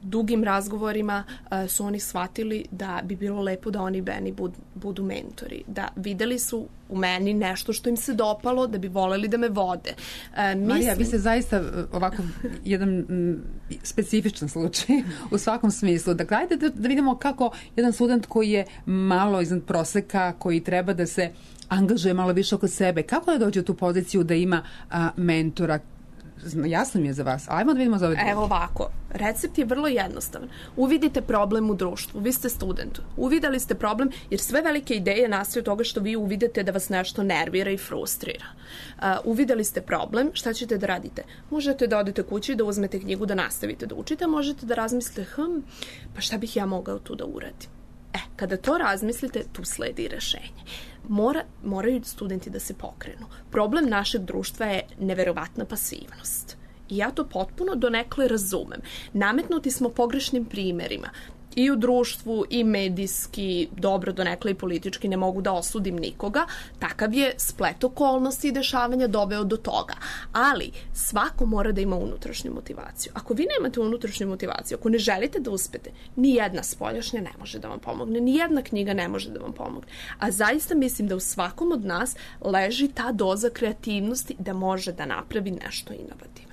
dugim razgovorima uh, su oni shvatili da bi bilo lepo da oni meni bud, budu mentori. Da videli su u meni nešto što im se dopalo, da bi voleli da me vode. Uh, mislim... Marija, vi ste zaista ovako jedan m, specifičan slučaj u svakom smislu. Dakle, ajde da, da vidimo kako jedan student koji je malo iznad proseka, koji treba da se angažuje malo više oko sebe, kako da dođe u tu poziciju da ima a, mentora? Jasno mi je za vas. Ajmo da vidimo za ovaj. Evo ovako, recept je vrlo jednostavan. Uvidite problem u društvu, vi ste student. Uvideli ste problem jer sve velike ideje nastaju toga što vi uvidite da vas nešto nervira i frustrira. Uh, uvideli ste problem, šta ćete da radite? Možete da odete kući, da uzmete knjigu, da nastavite da učite, možete da razmislite, hm, pa šta bih ja mogao tu da uradim? E, kada to razmislite, tu sledi rešenje. Mora, moraju studenti da se pokrenu. Problem našeg društva je neverovatna pasivnost. I ja to potpuno donekle razumem. Nametnuti smo pogrešnim primerima. I u društvu, i medijski, dobro donekle i politički, ne mogu da osudim nikoga. Takav je splet okolnosti i dešavanja doveo do toga. Ali svako mora da ima unutrašnju motivaciju. Ako vi nemate unutrašnju motivaciju, ako ne želite da uspete, ni jedna spoljašnja ne može da vam pomogne, ni jedna knjiga ne može da vam pomogne. A zaista mislim da u svakom od nas leži ta doza kreativnosti da može da napravi nešto inovativno.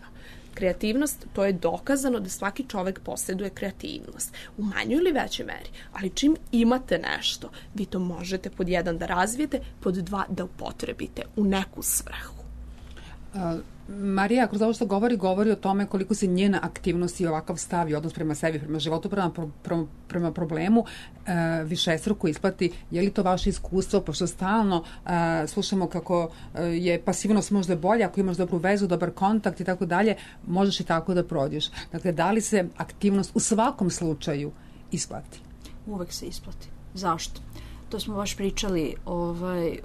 Kreativnost, to je dokazano da svaki čovek posjeduje kreativnost u manjoj ili većoj meri, ali čim imate nešto, vi to možete pod jedan da razvijete, pod dva da upotrebite u neku svrhu. Uh, Marija, kroz ovo što govori, govori o tome koliko se njena aktivnost i ovakav stav i odnos prema sebi, prema životu, prema, pro, pro, prema problemu uh, višestruko isplati. Je li to vaše iskustvo, pošto stalno uh, slušamo kako uh, je pasivnost možda bolja, ako imaš dobru vezu, dobar kontakt i tako dalje, možeš i tako da prođeš. Dakle, da li se aktivnost u svakom slučaju isplati? Uvek se isplati. Zašto? To smo baš pričali, ovaj,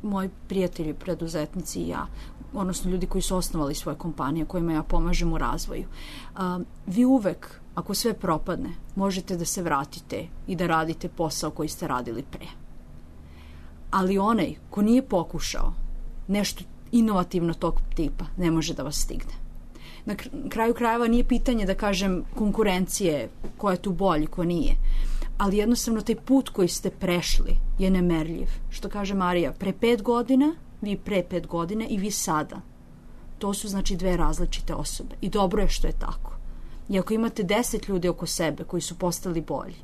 moji prijatelji, preduzetnici i ja, odnosno ljudi koji su osnovali svoje kompanije, kojima ja pomažem u razvoju. A, vi uvek, ako sve propadne, možete da se vratite i da radite posao koji ste radili pre. Ali onaj ko nije pokušao nešto inovativno tog tipa, ne može da vas stigne. Na kraju krajeva nije pitanje da kažem konkurencije ko je tu bolji, ko nije. Ali jednostavno taj put koji ste prešli je nemerljiv. Što kaže Marija, pre pet godina, vi pre pet godine i vi sada. To su znači dve različite osobe. I dobro je što je tako. I ako imate deset ljudi oko sebe koji su postali bolji,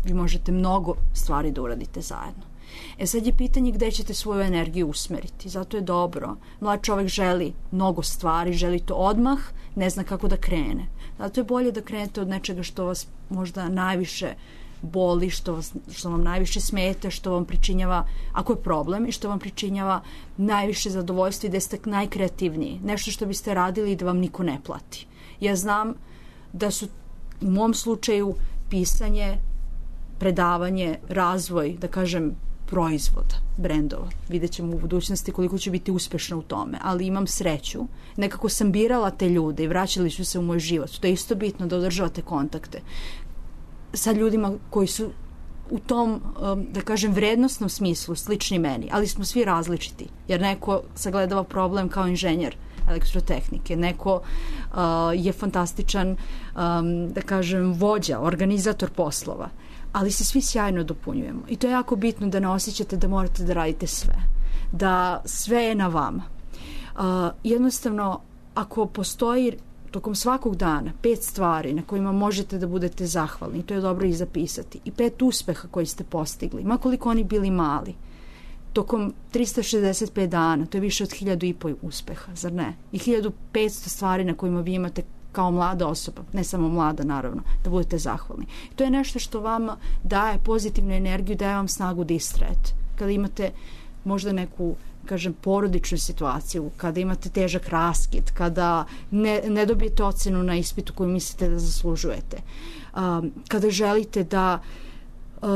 vi možete mnogo stvari da uradite zajedno. E sad je pitanje gde ćete svoju energiju usmeriti. Zato je dobro. Mlad čovek želi mnogo stvari, želi to odmah, ne zna kako da krene. Zato je bolje da krenete od nečega što vas možda najviše boli, što, vas, što vam najviše smeta, što vam pričinjava, ako je problem, i što vam pričinjava najviše zadovoljstva i da ste najkreativniji. Nešto što biste radili i da vam niko ne plati. Ja znam da su u mom slučaju pisanje, predavanje, razvoj, da kažem, proizvoda, brendova. Vidjet ćemo u budućnosti koliko ću biti uspešna u tome, ali imam sreću. Nekako sam birala te ljude i vraćali su se u moj život. To je isto bitno da održavate kontakte sa ljudima koji su u tom, da kažem, vrednosnom smislu slični meni, ali smo svi različiti, jer neko sagledava problem kao inženjer elektrotehnike, neko uh, je fantastičan, um, da kažem, vođa, organizator poslova, ali se svi sjajno dopunjujemo. I to je jako bitno da ne osjećate da morate da radite sve, da sve je na vama. Uh, jednostavno, ako postoji tokom svakog dana pet stvari na kojima možete da budete zahvalni, to je dobro i zapisati, i pet uspeha koji ste postigli, makoliko oni bili mali, tokom trista šezdeset pet dana, to je više od hiljadu i po uspeha, zar ne? I hiljadu petsto stvari na kojima vi imate kao mlada osoba, ne samo mlada naravno, da budete zahvalni. To je nešto što vama daje pozitivnu energiju, daje vam snagu da istrajete. Kada imate možda neku, kažem, porodičnu situaciju, kada imate težak raskid, kada ne, ne dobijete ocenu na ispitu koju mislite da zaslužujete, um, kada želite da uh,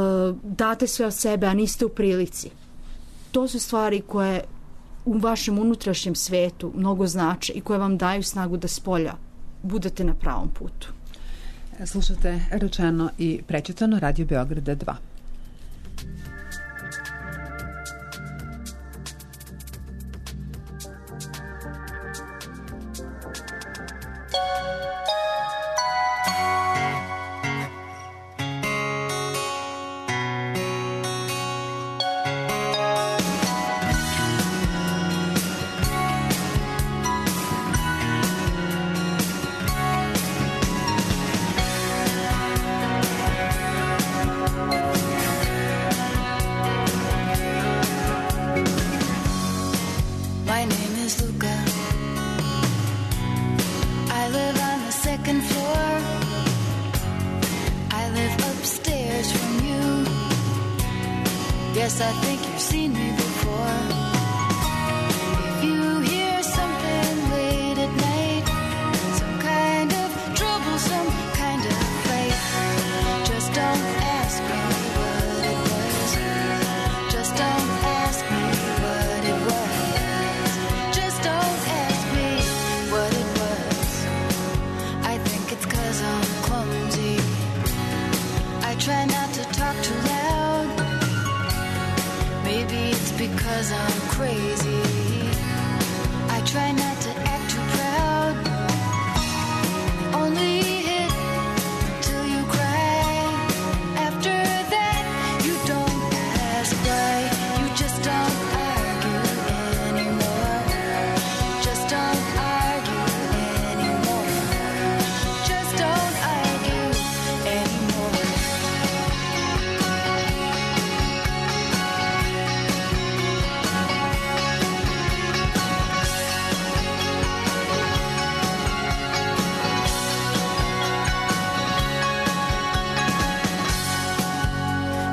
date sve od sebe, a niste u prilici. To su stvari koje u vašem unutrašnjem svetu mnogo znače i koje vam daju snagu da spolja budete na pravom putu. Slušate Rečeno i prečitano, Radio Beograda dva. Yes, I think you've seen me before. If you hear something late at night, some kind of trouble, some kind of fight, just don't ask me what it was. Just don't ask me what it was. Just don't ask me what it was. I think it's 'cause I'm clumsy. I try not to talk too loud. Maybe it's because I'm crazy. I try not to act too proud. Only hit till you cry. After that, you don't ask why. You just don't argue anymore. Just don't argue anymore. Just don't argue anymore.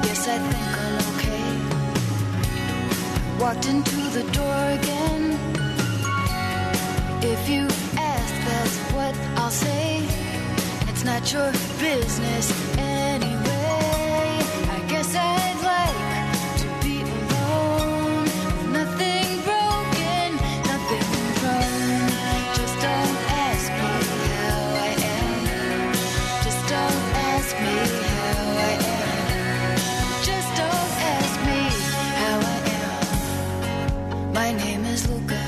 Yes, I think I'm okay. Walked into the door again. If you ask, that's what I'll say. It's not your business anyway. I guess I'd like to be alone. Nothing broken, nothing wrong. Just don't ask me how I am. Just don't ask me how I am. Just don't ask me how I am. My name is Luca.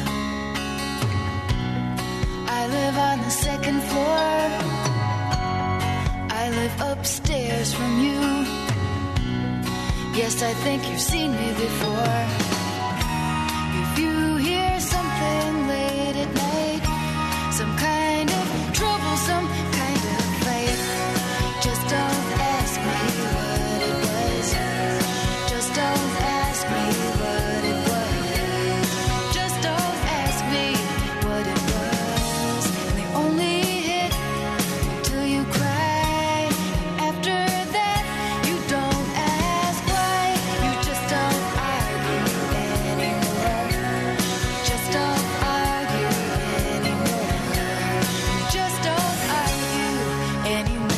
I live on the second floor. I live upstairs from you. Yes, I think you've seen me before. If you hear something late at night, some kind of trouble, some kind of fight, just don't ask me what it was. Just don't ask me what it was. Just don't ask me what it was. They only hit till you cry. After that, you don't ask why. You just don't argue anymore. Just don't argue anymore. Just don't argue anymore.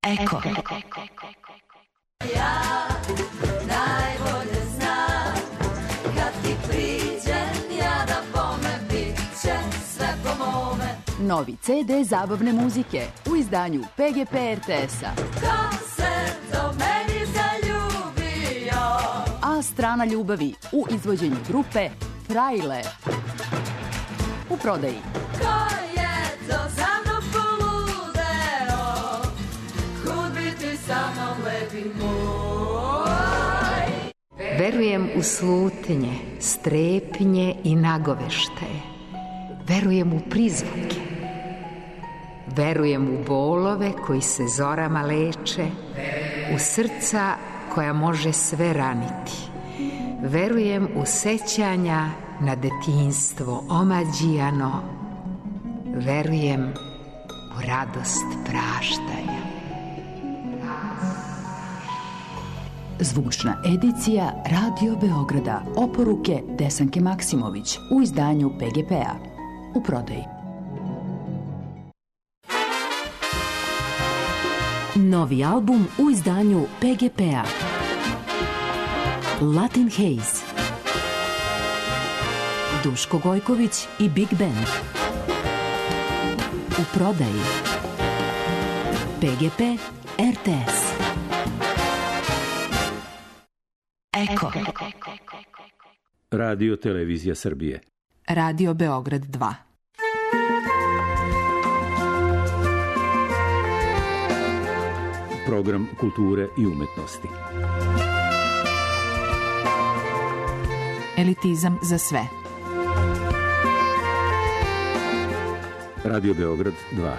Eko. Najbolje znam kad ti priđem ja da bome bit će sve po mome. Novi ce de zabavne muzike u izdanju pe ge pe er te es-a. Ko se do meni zaljubio? A strana ljubavi u izvođenju grupe Frajle. U prodaji. Ko je to za mnom poludeo? Kud bi ti sa mnom lepi moj? Verujem u slutnje, strepnje i nagoveštaje. Verujem u prizvuke. Verujem u bolove koji se zorama leče, u srca koja može sve raniti. Verujem u sećanja na detinjstvo omađijano. Verujem u radost praštanja. Zvučna edicija Radio Beograda. Oporuke Desanke Maksimović u izdanju pe ge pe-a. U prodaji. Novi album u izdanju pe ge pe-a. Latin Haze. Duško Gojković i Big Band. U prodaji. pe ge pe er te es. Eko. Radio Televizija Srbije. Radio Beograd dva. program kulture i umetnosti. Elitizam za sve. Radio Beograd dva.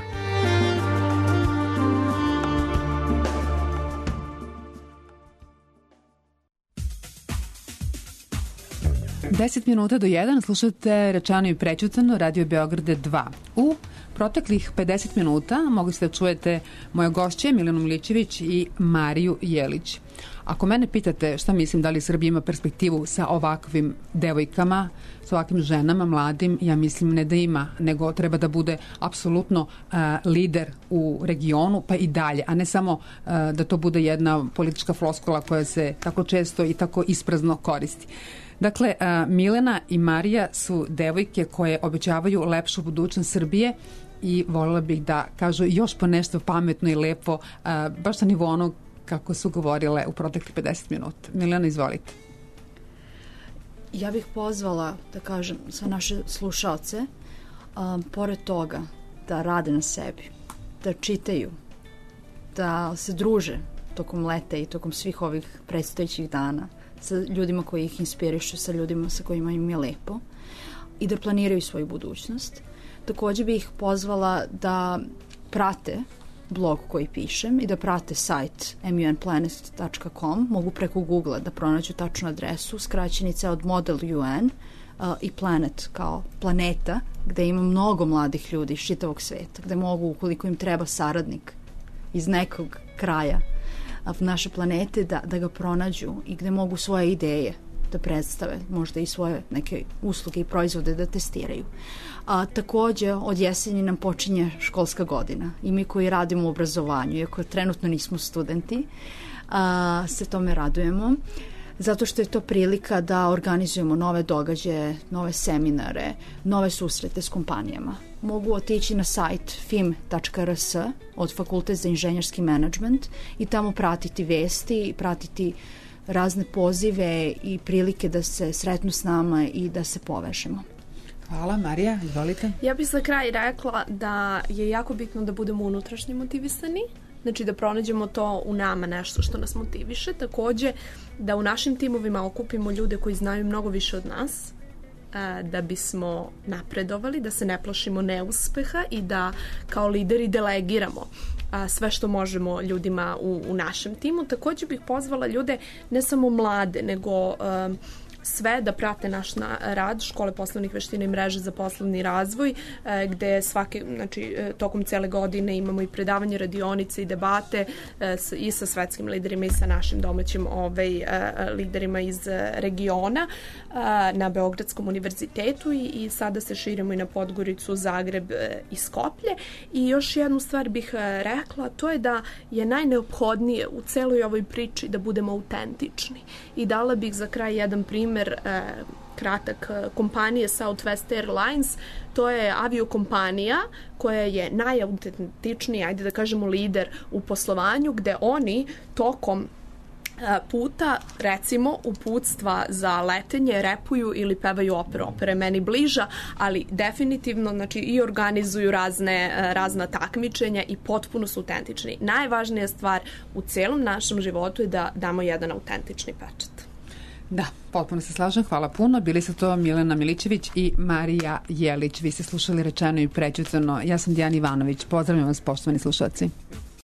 Deset minuta do jedan slušate Rečeno i prećutano, Radio Beograd dva. U proteklih pedeset minuta mogli ste da čujete moje gošće Milenu Milićević i Mariju Jelić. Ako mene pitate šta mislim da li Srbija ima perspektivu sa ovakvim devojkama, sa ovakvim ženama, mladim, ja mislim ne da ima, nego treba da bude apsolutno uh, lider u regionu, pa i dalje, a ne samo uh, da to bude jedna politička floskula koja se tako često i tako isprazno koristi. Dakle, uh, Milena i Marija su devojke koje obećavaju lepšu budućnost Srbije i voljela bih da kažu još po nešto pametno i lepo, uh, baš na nivou onog kako su govorile u proteklih pedeset minuta. Milena, izvolite. Ja bih pozvala, da kažem, sve naše slušalce, um, pored toga da rade na sebi, da čitaju, da se druže tokom leta i tokom svih ovih predstojećih dana sa ljudima koji ih inspirišu, sa ljudima sa kojima im je lepo i da planiraju svoju budućnost. Takođe bih ih pozvala da prate blog koji pišem i da prate sajt m u n planet dot com. Mogu preko Google da pronađu tačnu adresu, skraćenica od Model U N uh, i Planet kao planeta, gde ima mnogo mladih ljudi iz čitavog sveta, gde mogu, ukoliko im treba saradnik iz nekog kraja naše planete, da, da ga pronađu i gde mogu svoje ideje da predstave, možda i svoje neke usluge i proizvode da testiraju. A takođe, od jeseni nam počinje školska godina i mi koji radimo u obrazovanju, iako trenutno nismo studenti, a, se tome radujemo, zato što je to prilika da organizujemo nove događaje, nove seminare, nove susrete s kompanijama. Mogu otići na sajt f i m dot r s od Fakultet za inženjerski menadžment i tamo pratiti vesti, pratiti razne pozive i prilike da se sretnu s nama i da se povežemo. Hvala. Marija, izvolite. Ja bih za kraj rekla da je jako bitno da budemo unutrašnje motivisani, znači da pronađemo to u nama nešto što nas motiviše. Takođe da u našim timovima okupimo ljude koji znaju mnogo više od nas, da bismo napredovali, da se ne plašimo neuspeha i da kao lideri delegiramo sve što možemo ljudima u, u našem timu. Takođe bih pozvala ljude, ne samo mlade, nego um, sve da prate naš na, rad Škole poslovnih veština i mreže za poslovni razvoj, e, gde svake, znači, e, tokom cele godine imamo i predavanje, radionice i debate e, s, i sa svetskim liderima i sa našim domaćim ovaj, e, liderima iz e, regiona e, na Beogradskom univerzitetu i, i sada se širimo i na Podgoricu, Zagreb e, i Skoplje. I još jednu stvar bih e, rekla, to je da je najneophodnije u celoj ovoj priči da budemo autentični. I dala bih za kraj jedan primjer E, kratak kompanije Southwest Airlines. To je aviokompanija koja je najautentičnija, ajde da kažemo lider u poslovanju, gde oni tokom e, puta, recimo uputstva za letenje repuju ili pevaju operu. Opera je meni bliža, ali definitivno, znači, i organizuju razne, razna takmičenja i potpuno su autentični. Najvažnija stvar u celom našem životu je da damo jedan autentični pečat. Da, potpuno se slažem, hvala puno. Bili su to Milena Milićević i Marija Jelić. Vi ste slušali Rečeno i prećutano. Ja sam Dijana Ivanović. Pozdravljam vas, poštovani slušalci.